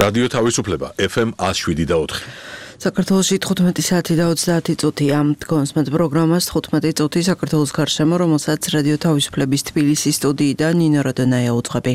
რადიო თავისუფლება FM 107.4. საქართველოში 15 საათი და 30 წუთია. დგომს მათ პროგრამას 15 წუთი საქართველოს გარშემო, რომელსაც რადიო თავისუფლების თბილისის სტუდიიდან ნინო როდონაია უძღვები.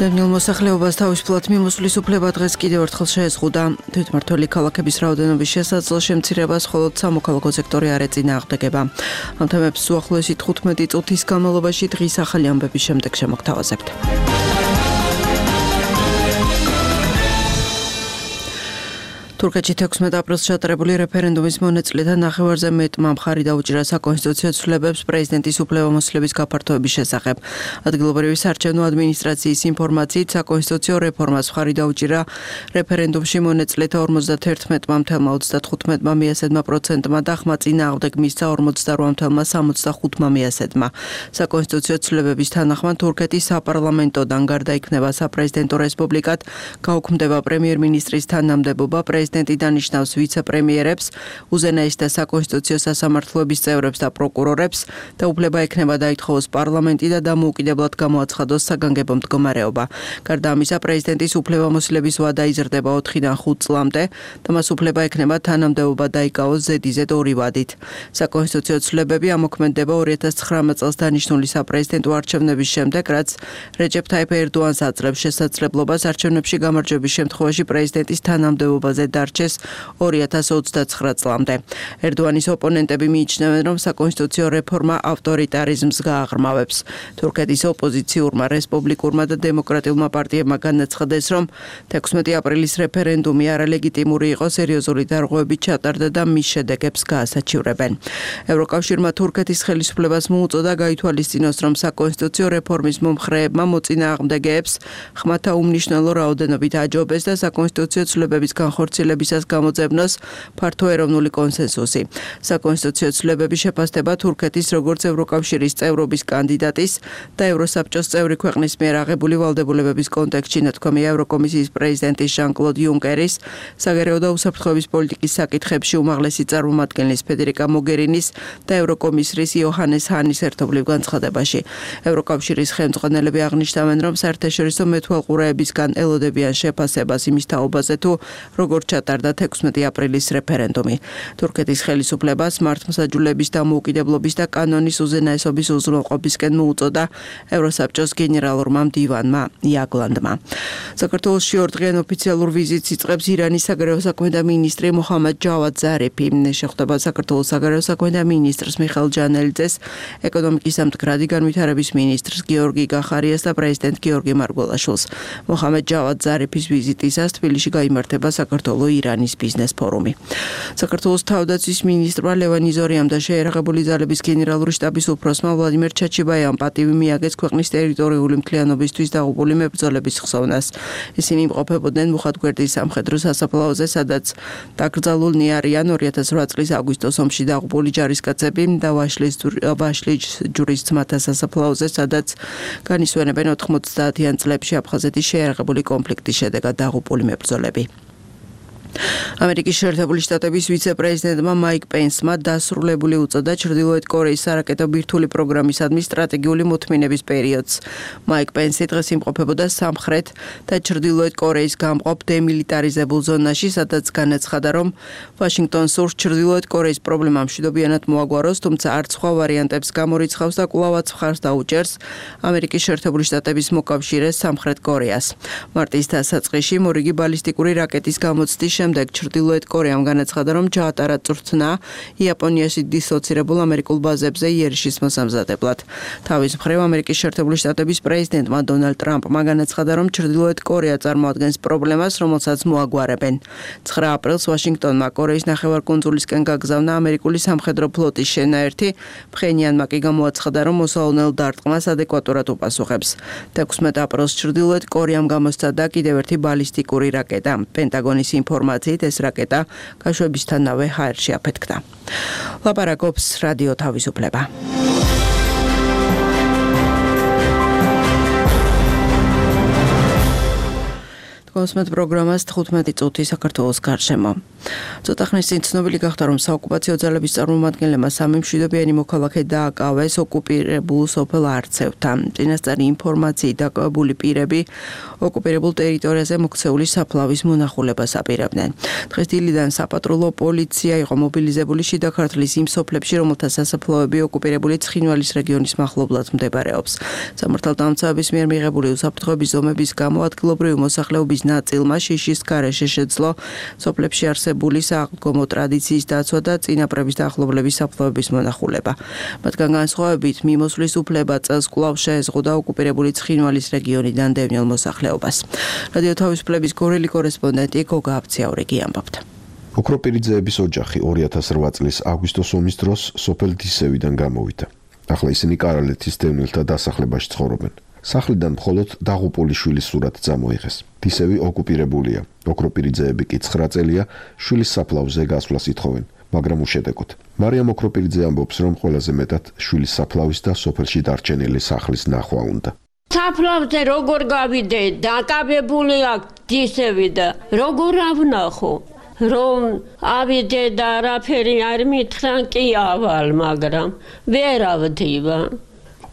დანიელ მოსახლეობას თავისუფლად მიმოსვლის უფლება დღეს კიდევ ერთხელ შეეზღუდა. თვითმმართველი ქალაქების რაოდენობის შესაძლო შემცირებას მხოლოდ სამოქალაქო სექტორი არ ეწინააღმდეგება. ამ თემებს უახლოესი 15 წუთის განმავლობაში დღის ახალი ამბების შემდეგ შემოგთავაზებთ. თურქეთში 16 აპრილს ჩატარებული რეფერენდუმის მონაწილეთა ნახევარზე მეტმა მხარი დაუჭირა საკონსტიტუციო ცვლილებებს პრეზიდენტის უფლებამოსილების გაფართოების შესახებ. ადგილობრივი საარჩევნო ადმინისტრაციის ინფორმაციით საკონსტიტუციო რეფორმას მხარი დაუჭირა რეფერენდუმში მონაწილეთა 51,35%-მა მიასედმა და ხმა წინააღმდეგ მისცა 48,65%-მა. საკონსტიტუციო ცვლილებების თანახმად თურქეთის საპარლამენტოდან გარდაიქმნება საპრეზიდენტო რესპუბლიკად, გაუქმდება პრემიერ-მინისტრის თანამდებობა, პრეზიდენტი დანიშნავს ვიცე-პრემიერებს, უზენაეს და საკონსტიტუციო სასამართლოების წევრებს და პროკურორებს და უფლება ექნება დაითხოვოს პარლამენტი და დამოუკიდებლად გამოაცხადოს საგანგებო მდგომარეობა. გარდა ამისა, პრეზიდენტის უფლებამოსილების ვადა იზრდება 4-დან 5 წლამდე და მას უფლება ექნება თანამდებობა დაიკავოს ზედიზედ 2 ვადით. საკონსტიტუციო ცვლილებები ამოქმედდება 2019 წელს დანიშნული საპრეზიდენტო არჩევნების შემდეგ, რაც რეჯეფ თაიფ ერდოანს აძლევს შესაძლებლობას არჩევნებში გამარჯვების შემთხვევაში პრეზიდენტის თანამდებობაზე დარჩეს 2029 წლამდე. ერდოანის ოპონენტები მიიჩნევენ, რომ საკონსტიტუციო რეფორმა ავტორიტარიზმს გააღრმავებს. თურქეთის ოპოზიციურმა, რესპუბლიკურმა და დემოკრატიულმა პარტიებმა განაცხადეს, რომ 16 აპრილის რეფერენდუმი არალეგიტიმური იყო, სერიოზული დარღვევებით ჩატარდა და მის შედეგებს გაასაჩივრებენ. ევროკავშირმა თურქეთის ხელისუფლებას მოუწოდა გაითვალისწინოს, რომ საკონსტიტუციო რეფორმის მომხრეებმა მოწინააღმდეგეებს ხმათა უმნიშვნელო რაოდენობით აჯობეს და საკონსტიტუციო ცვლილებების განხორციელებისას გამოძებნოს ფართო ეროვნული კონსენსუსი. საკონსტიტუციო ცვლილებების შეფასდება თურქეთის როგორც ევროკავშირის წევრობის კანდიდატის და ევროსაბჭოს წევრი ქვეყნის მიერ აღებული ვალდებულებების კონტექსტში ნათქვამია ევროკომისიის პრეზიდენტის ჟან-კლოდ იუნკერის, საგარეო და უსაფრთხოების პოლიტიკის საკითხებში უმაღლესი წარმომადგენლის ფედერიკა მოგერინის და ევროკომისრის იოჰანეს ჰანის ერთობლივ განცხადებაში. ევროკავშირის ხელმძღვანელები აღნიშნავენ, რომ საერთაშორისო მეთვალყურეებისგან ელოდებიან შეფასებას იმის თაობაზე, თუ როგორც ჩატარდა 16 აპრილის რეფერენდუმი. თურქეთის ხელისუფლებას მართლმსაჯულების დამოუკიდებლობის და კანონის უზენაესობის უზრუნველყოფისკენ მოუწოდა ევროსაბჭოს გენერალურმა მდივანმა იაგლანდმა. საქართველოში ორდღიან ოფიციალურ ვიზიტს იწყებს ირანის საგარეო საქმეთა მინისტრი მოჰამედ ჯავად ზარიფი. შეხვდება საქართველოს საგარეო საქმეთა მინისტრს მიხეილ ჯანელიძეს, ეკონომიკის და მდგრადი განვითარების მინისტრს გიორგი გახარიას და პრეზიდენტ გიორგი მარგველაშვილს. მოჰამედ ჯავად ზარიფის ვიზიტისას თბილისში გაიმართება საქართველო-ირანის ბიზნეს ფორუმი. საქართველოს თავდაცვის მინისტრმა ლევან იზორიამ და შეერაღებული ძალების გენერალური შტაბის უფროსმა ვლადიმერ ჩაჩიბაიამ პატივი მიაგეს ქვეყნის ტერიტორიული მთლიანობისთვის დაღუპული მებრძოლების ხსოვნას. ისინი იმყოფებოდნენ მუხათგვერდის სამხედრო სასაფლაოზე, სადაც დაკრძალულნი არიან 2008 წლის აგვისტოს ომში დაღუპული ჯარისკაცები და ვაშლის ჯურის ძმათა სასაფლაოზე, სადაც განისვენებენ 90-იან წლებში აფხაზეთის შეერაღებული კონფლიქტის შედეგად დაღუპული მებრძოლები. ამერიკის შეერთებული შტატების ვიცე-პრეზიდენტმა მაიკ პენსმა დასრულებული უწოდა ჩრდილოეთ კორეის სარაკეტო ბირთვული პროგრამისადმი სტრატეგიული მოთმინების პერიოდს. მაიკ პენსი დღეს იმყოფებოდა სამხრეთ და ჩრდილოეთ კორეის გამყოფ დემილიტარიზებულ ზონაში, სადაც განაცხადა, რომ ვაშინგტონს სურს ჩრდილოეთ კორეის პრობლემა მშვიდობიანად მოაგვაროს, თუმცა არც სხვა ვარიანტებს გამორიცხავს და კვლავაც მხარს დაუჭერს ამერიკის შეერთებული შტატების მოკავშირეს სამხრეთ კორეას. მარტის დასაწყისში მორიგი ბალისტიკური რაკეტის გამოცდის შემდეგ ჩრდილოეთ კორეამ განაცხადა, რომ ჩაატარა წვრთნა იაპონიაში დისლოცირებულ ამერიკულ ბაზებზე იერიშის მოსამზადებლად. თავის მხრივ ამერიკის შეერთებული შტატების პრეზიდენტმა დონალდ ტრამპმა განაცხადა, რომ ჩრდილოეთ კორეა წარმოადგენს პრობლემას, რომელსაც მოაგვარებენ. 9 აპრილს ვაშინგტონმა კორეის ნახევარკუნძულისკენ გაგზავნა ამერიკული სამხედრო ფლოტის შენაერთი, ფხენიანმა კი გამოაცხადა, რომ მოსალონელ დარტყმას ადეკვატურად უპასუხებს. 16 აპრილს ჩრდილოეთ კორეამ გამოსცადა კიდევ ერთი ბალისტიკური რაკეტა. პენტაგონის ინფორმაციით ეს რაკეტა გაშვებისთანავე ჰაერში აფეთქდა. ლაპარაკობს რადიო თავისუფლება. კონსმეთ პროგრამას 15 წუთი საქართველოს გარშემო. ცოტა ხნის წინ ცნობილი გახდა, რომ საოკუპაციო ძალების წარმომადგენლებმა სამი მშვიდობიანი მოქალაქე დააკავეს ოკუპირებულ სოფელ არცევთან. წინასწარი ინფორმაციით დაკავებული პირები ოკუპირებულ ტერიტორიაზე მოქცეული საფლავის მონახულებას აპირებდნენ. დღეს დილიდან საპატრულო პოლიცია იყო მობილიზებული შიდა ქართლის იმ სოფლებში, რომელთა სასაფლაოები ოკუპირებული ცხინვალის რეგიონის მახლობლად მდებარეობს. სამართალდამცავების მიერ მიღებული უსაფრთხოების ზომების გამო ადგილობრივი მოსახლეობის ნაწილმა შიშის გარეშე შეძლო სოფლებში არსებული სააღდგომო ტრადიციის დაცვა და წინაპრების დაახლოების საფლავების მონახულება. მათგან განსხვავებით მიმოსვლის უფლება წელს კვლავ შეეზღუდა ოკუპირებული ცხინვალის რეგიონიდან დევნილ მოსახლეობას. რადიო თავისუფლების გორელი კორესპონდენტი გოგა აბციაურიგი ამბობდა. ოქროპირიძეების ოჯახი 2008 წლის აგვისტოს ომის დროს სოფელ დისევიდან გამოვიდა. ახლა ისინი კარალეთის დევნილთა დასახლებაში ცხოვრობენ. სახლიდან მხოლოდ დაღუპული შვილის სურათი წამოიღეს. დისევი ოკუპირებულია. ოქროპირიძეები კი 9 წელია შვილის საფლავზე გასვლას ითხოვენ, მაგრამ უშედეგოდ. მარიამ ოქროპირიძე ამბობს, რომ ყველაზე მეტად შვილის საფლავის და სოფელში დარჩენილი სახლის ნახვა უნდა. საფლავზე როგორ გავიდე, დაკავებული აქვს დისევი და როგორ ავნახო, რომ ავიდე და არაფერი არ მითხრან, კი ავალ, მაგრამ ვერ ავდივა.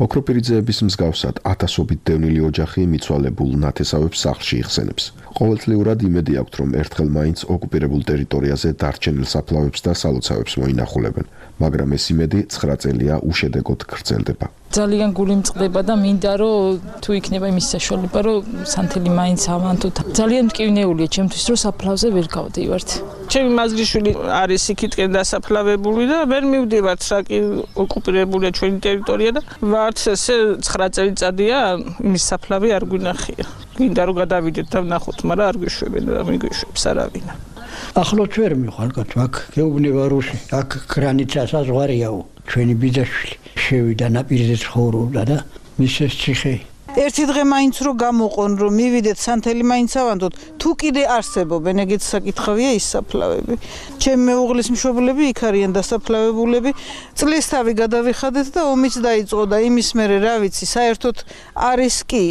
ოქროპირიძეების მსგავსად ათასობით დევნილი ოჯახი მიცვალებულ ნათესავებს სახლში იხსენებს. ყოველწლიურად იმედი აქვთ, რომ ერთხელ მაინც ოკუპირებულ ტერიტორიაზე დარჩენილ საფლავებს და სალოცავებს მოინახულებენ, მაგრამ ეს იმედი 9 წელია უშედეგოდ გრძელდება. ძალიან გული მწყდება და მინდა რომ თუ იქნება იმის საშუალება, რომ სანთელი მაინც ავანთოთ. ძალიან მტკივნეულია ჩემთვის, რომ საფლავზე ვერ გავდივართ. ჩემი მაზრიშვილი არის იქითკენ დასაფლავებული და ვერ მივდივართ, რაკი ოკუპირებულია ჩვენი ტერიტორია და ვართ ესე 9 წელიწადია იმის საფლავი არ გვინახია. გინდა რომ გადავიდეთ და ვნახოთ, მაგრამ არ გვიშვებენ და მიგვიშვებს არავინ. ახლოთ ვერ მიხვალ, აქ გეუბნება რუსი, აქ გრანიცა საზღვარიაო. ჩვენი ბიძაშვილი შევიდა ნაპირზე ცხოვრობდა და მისეს ციხე. ერთი დღე მაინც რო გამოყონ, რომ მივიდეთ სანთელი მაინც ავანდოთ, თუ კიდე არსებობენ ეგეთ საკითხავია ის საფლავები. ჩემი მეუღლის მშობლები იქ არიან დასაფლავებულები. წლისთავი გადავიხადეთ და ომიც დაიწყო და იმის მერე რა ვიცი, საერთოდ არის კი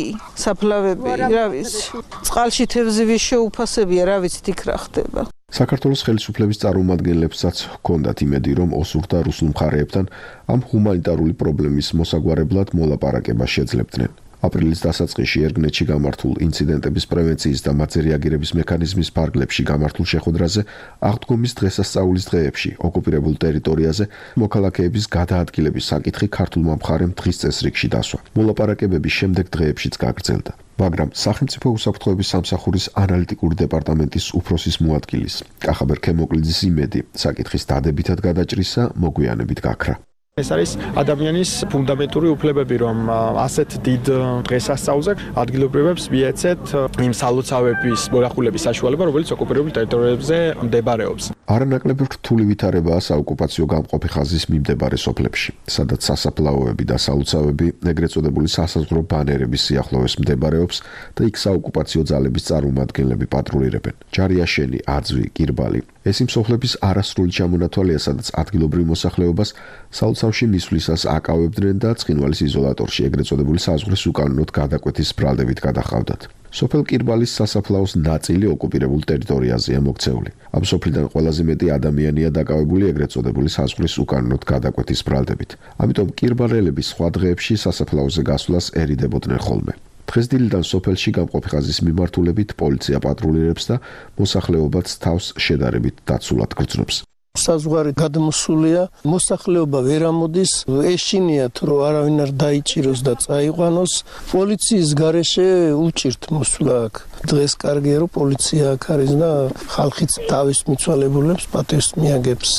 საფლავები, რა ვიცი. წყალში თევზივის შეუფასებია, რა ვიცით იქ რა ხდება. საქართველოს ხელისუფლების წარმომადგენლებსაც ჰქონდათ იმედი, რომ ოსურ და რუსულ მხარეებთან ამ ჰუმანიტარული პრობლემის მოსაგვარებლად მოლაპარაკება შეძლებდნენ. აპრილის დასაწყისში ერგნეთში გამართულ ინციდენტების პრევენციის და მათზე რეაგირების მექანიზმის ფარგლებში გამართულ შეხვედრაზე აღდგომის დღესასწაულის დღეებში ოკუპირებულ ტერიტორიაზე მოქალაქეების გადაადგილების საკითხი ქართულმა მხარემ დღის წესრიგში დასვა. მოლაპარაკებების შემდეგ დღეებშიც გაგრძელდა. მაგრამ სახელმწიფო უსაფრთხოების სამსახურის ანალიტიკური დეპარტამენტის უფროსის მოადგილის კახაბერ ქემოკლიძის იმედი საკითხის დადებითად გადაჭრისა მოგვიანებით გაქრა. ეს არის ადამიანის ფუნდამენტური უფლებები, რომ ასეთ დიდ დღესასწაულზე ადგილობრივებს მიეცეთ იმ სალოცავების მონახულების საშუალება, რომელიც ოკუპირებულ ტერიტორიებზე მდებარეობს. არანაკლები რთული ვითარებაა საოკუპაციო გამყოფი ხაზის მიმდებარე სოფლებში, სადაც სასაფლაოები და სალოცავები, ეგრეთ წოდებული სასაზღვრო ბანერების სიახლოვეს მდებარეობს და იქ საოკუპაციო ძალების წარმომადგენლები პატრულირებენ. ჯარიაშენი, აძვი, კირბალი. ეს იმ სოფლების არასრული ჩამონათვალია, სადაც ადგილობრივ მოსახლეობას სალოცავში მისვლისას აკავებდნენ და ცხინვალის იზოლატორში ეგრეთ წოდებული საზღვრის უკანონოდ გადაკვეთის ბრალდებით გადაჰყავდათ. სოფელ კირბალის სასაფლაოს ნაწილი ოკუპირებულ ტერიტორიაზეა მოქცეული. ამ სოფლიდან ყველაზე მეტი ადამიანია დაკავებული ეგრეთ წოდებული საზღვრის უკანონოდ გადაკვეთის ბრალდებით. ამიტომ კირბალელები სხვა დღეებში სასაფლაოზე გასვლას ერიდებოდნენ ხოლმე. დღეს დილიდან სოფელში გამყოფი ხაზის მიმართულებით პოლიცია პატრულირებს და მოსახლეობაც თავს შედარებით დაცულად გრძნობს. საზღვარი გადმოსულია, მოსახლეობა ვერ ამოდის, ეშინიათ რომ არავინ არ დაიჭიროს და წაიყვანოს. პოლიციის გარეშე უჭირთ მოსვლა აქ. დღეს კარგია რომ პოლიცია აქ არის და ხალხიც თავის მიცვალებულებს პატივს მიაგებს.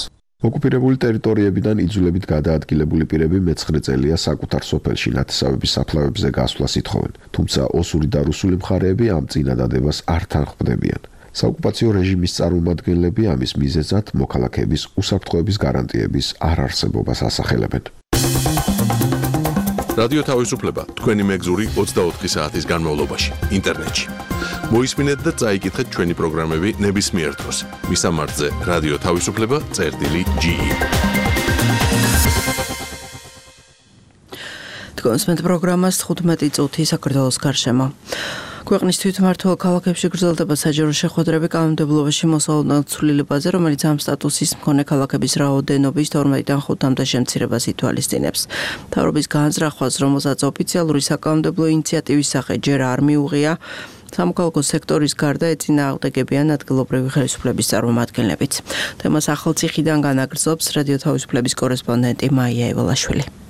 ოკუპირებული ტერიტორიებიდან იძულებით გადაადგილებული პირები მე-9 წელია საკუთარ სოფელში ნათესავების საფლავებზე გასვლას ითხოვენ, თუმცა ოსური და რუსული მხარეები ამ წინადადებას არ თანხმდებიან. საოკუპაციო რეჟიმის წარმომადგენლები ამის მიზეზად მოქალაქეების უსაფრთხოების გარანტიების არარსებობას ასახელებენ. რადიო თავისუფლება თქვენი მეგზური 24 საათის განმავლობაში ინტერნეტში. მოისმინეთ და წაიკითხეთ ჩვენი პროგრამები ნებისმიერ დროს. მისამართზე რადიო თავისუფლება.ge. კონსმეთ პროგრამას 15 წუთი საქართველოს გარშემო. ქვეყნის თვითმმართველ ქალაქებში გრძელდება საჯარო შეხვედრები კანონმდებლობაში მოსალოდნელ ცვლილებაზე, რომელიც ამ სტატუსის მქონე ქალაქების რაოდენობის 12-დან 5-მდე შემცირებას ითვალისწინებს. მთავრობის განზრახვას, რომელსაც ოფიციალური საკანონმდებლო ინიციატივის სახე ჯერ არ მიუღია, სამოქალაქო სექტორის გარდა ეწინააღმდეგებიან ადგილობრივი ხელისუფლების წარმომადგენლებიც. თემას ახალციხიდან განაგრძობს რადიო თავისუფლების კორესპონდენტი მაია ევალაშვილი.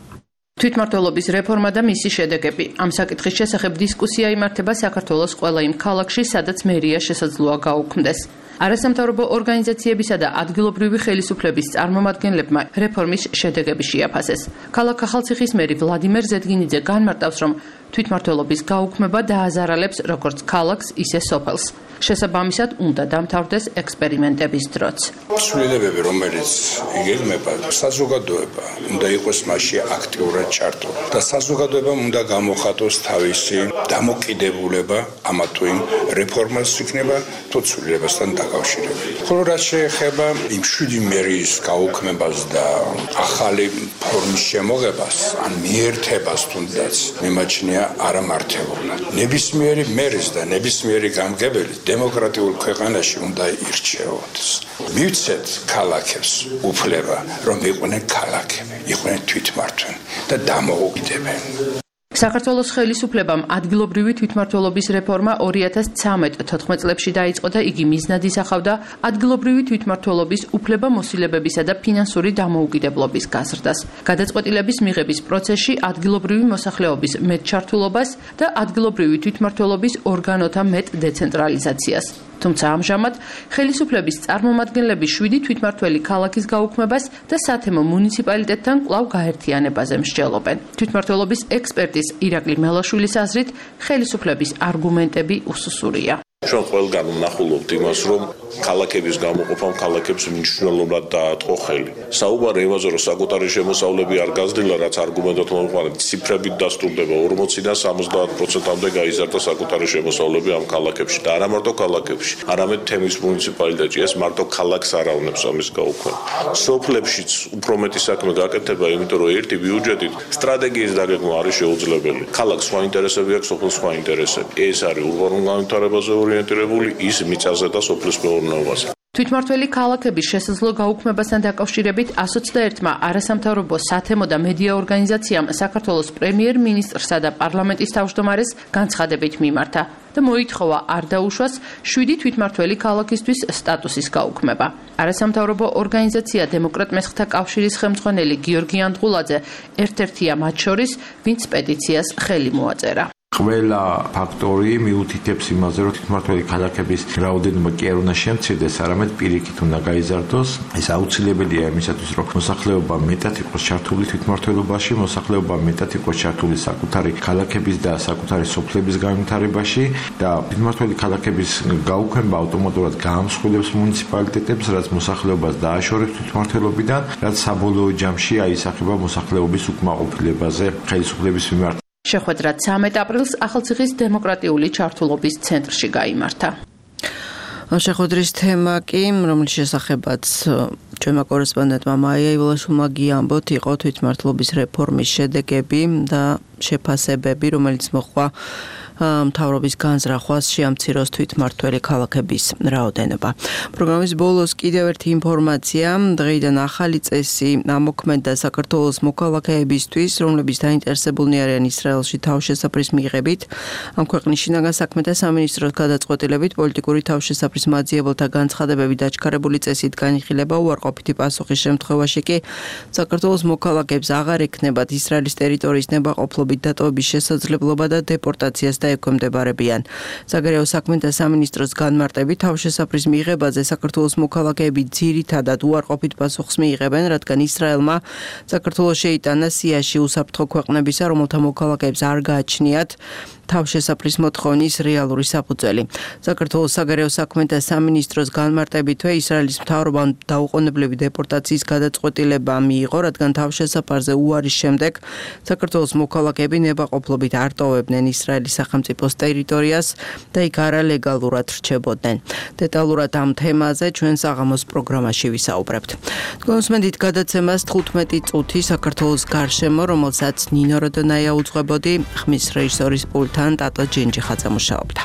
თვითმმართველობის რეფორმა და მისი შედეგები. ამ საკითხის შესახებ დისკუსია იმართება საქართველოს ყველა იმ ქალაქში, სადაც მერია შესაძლოა გაუქმდეს. არასამთავრობო ორგანიზაციებისა და ადგილობრივი ხელისუფლების წარმომადგენლებმა რეფორმის შედეგები შეაფასეს. ქალაქ ახალციხის მერი ვლადიმერ ზედგინიძე განმარტავს, რომ თვითმმართველობის გაუქმება დააზარალებს როგორც ქალაქს, ისე სოფელს. შესაბამისად, უნდა დამთავრდეს ექსპერიმენტების დროც. ცვლილებები, რომელიც იგეგმება, საზოგადოება უნდა იყოს მასში აქტიურად ჩართო და საზოგადოებამ უნდა გამოხატოს თავისი დამოკიდებულება ამა თუ იმ რეფორმას იქნება თუ ცვლილებასთან დაკავშირებით. ხოლო რაც შეეხება იმ 7 მერიის გაუქმებას და ახალი ფორმის შემოღებას, ან მიერთებას თუნდაც მიმაჩნია არამართებოვნად. ნებისმიერი მერის და ნებისმიერი გამგებელი დემოკრატიულ ქვეყანაში უნდა ირჩეოდეს. მივცეთ ქალაქებს უფლება, რომ იყვნენ ქალაქები, იყვნენ თვითმმართველი და დამოუკიდებელ. საქართველოს ხელისუფლებამ ადგილობრივი თვითმმართველობის რეფორმა 2013-14 წლებში დაიწყო და იგი მიზნად ისახავდა ადგილობრივი თვითმმართველობის უფლება-მოსილებებისა და ფინანსური დამოუკიდებლობის გაზრდას, გადაწყვეტილების მიღების პროცესში ადგილობრივი მოსახლეობის მეტ ჩართულობას და ადგილობრივი თვითმმართველობის ორგანოთა მეტ დეცენტრალიზაციას. თუმცა ამჟამად ხელისუფლების წარმომადგენლები 7 თვითმმართველი ქალაქის გაუქმებას და სათემო მუნიციპალიტეტთან კვლავ გაერთიანებაზე მსჯელობენ. თვითმმართველობის ექსპერტის ირაკლი მელაშვილის აზრით, ხელისუფლების არგუმენტები უსუსურია. ჩვენ ყველგან ვნახულობთ იმას, რომ ქალაქების გამოყოფამ ქალაქებს მნიშვნელოვნად დაატყო ხელი. საუბარი იმაზე, რომ საკუთარი შემოსავლები არ გაზრდილა, რაც არგუმენტად მოვიყვანეთ, ციფრებით დასტურდება 40-დან 70%-მდე გაიზარდა საკუთარი შემოსავლები ამ ქალაქებში და არა მარტო ქალაქებში, არამედ თემის მუნიციპალიტეტში ეს მარტო ქალაქს არ ავნებს ამის გაუქმება. სოფლებშიც უფრო მეტი საქმე გაკეთდება, იმიტომ რომ ერთი ბიუჯეტით სტრატეგიის დაგეგმა არის შეუძლებელი. ქალაქს სხვა ინტერესები აქვს, სოფელს სხვა ინტერესები. ეს არის ურბანულ განვითარებაზე ორიენტირებული, ის მიწაზე და სოფლის მეურნეობაზე. თვითმმართველი ქალაქების შესაძლო გაუქმებასთან დაკავშირებით 121-მა არასამთავრობო სათემო და მედია ორგანიზაციამ საქართველოს პრემიერ-მინისტრსა და პარლამენტის თავმჯდომარეს განცხადებით მიმართა და მოითხოვა არ დაუშვას 7 თვითმმართველი ქალაქისთვის სტატუსის გაუქმება. არასამთავრობო ორგანიზაცია დემოკრატ მესხთა კავშირის ხელმძღვანელი გიორგი ანდღულაძე ერთ-ერთია მათ შორის, ვინც პეტიციას ხელი მოაწერა. ყველა ფაქტორი მიუთითებს იმაზე, რომ თვითმმართველი ქალაქების რაოდენობა კი არ უნდა შემცირდეს, არამედ პირიქით უნდა გაიზარდოს. ეს აუცილებელია იმისათვის, რომ მოსახლეობა მეტად იყოს ჩართული თვითმმართველობაში, მოსახლეობა მეტად იყოს ჩართული საკუთარი ქალაქების და საკუთარი სოფლების განვითარებაში და თვითმმართველი ქალაქების გაუქმება ავტომატურად გაამსხვილებს მუნიციპალიტეტებს, რაც მოსახლეობას დააშორებს თვითმმართველობიდან, რაც საბოლოო ჯამში აისახება მოსახლეობის უკმაყოფილებაზე ხელისუფლების მიმართ. შეხვედრა 13 აპრილს ახალციხის დემოკრატიული ჩართულობის ცენტრში გაიმართა. შეხვედრის თემა კი, რომლის შესახებაც ჩვენმა კორესპონდენტმა მაია ევალაშვილმა გიამბოთ, იყო თვითმმართველობის რეფორმის შედეგები და შეფასებები, რომელიც მოჰყვა მთავრობის განზრახვას შეამციროს თვითმმართველი ქალაქების რაოდენობა. პროგრამის ბოლოს კიდევ ერთი ინფორმაცია, დღეიდან ახალი წესი ამოქმედა საქართველოს მოქალაქეებისთვის, რომლებიც დაინტერესებულნი არიან ისრაელში თავშესაფრის მიღებით. ამ ქვეყნის შინაგან საქმეთა სამინისტროს გადაწყვეტილებით პოლიტიკური თავშესაფრის მაძიებელთა განცხადებები დაჩქარებული წესით განიხილება უარყოფითი პასუხის შემთხვევაში კი საქართველოს მოქალაქეებს აღარ ექნებათ ისრაელის ტერიტორიის ნებაყოფლობით დატოვების შესაძლებლობა და დეპორტაციას ექვემდებარებიან. საგარეო საქმეთა სამინისტროს განმარტებით თავშესაფრის მიღებაზე საქართველოს მოქალაქეები ძირითადად უარყოფით პასუხს მიიღებენ, რადგან ისრაელმა საქართველოს შეიტანა სიაში უსაფრთხო ქვეყნებისა, რომელთა მოქალაქეებს არ გააჩნიათ თავშესაფრის მოთხოვნის რეალური საფუძველი. საქართველოს საგარეო საქმეთა სამინისტროს განმარტებითვე ისრაელის მთავრობამ დაუყოვნებლივი დეპორტაციის გადაწყვეტილება მიიღო, რადგან თავშესაფარზე უარის შემდეგ საქართველოს მოქალაქეები ნებაყოფლობით არ ტოვებდნენ ისრაელის სახელმწიფოს ტერიტორიას და იქ არალეგალურად რჩებოდნენ. დეტალურად ამ თემაზე ჩვენ საღამოს პროგრამაში ვისაუბრებთ. გონსმენდით გადაცემას 15 წუთი საქართველოს გარშემო, რომელსაც ნინო როდონაია უძღვებოდი, ხმის რეჟისორის პულტთან თან ტატო ჯენჯიხაძე მუშაობდა.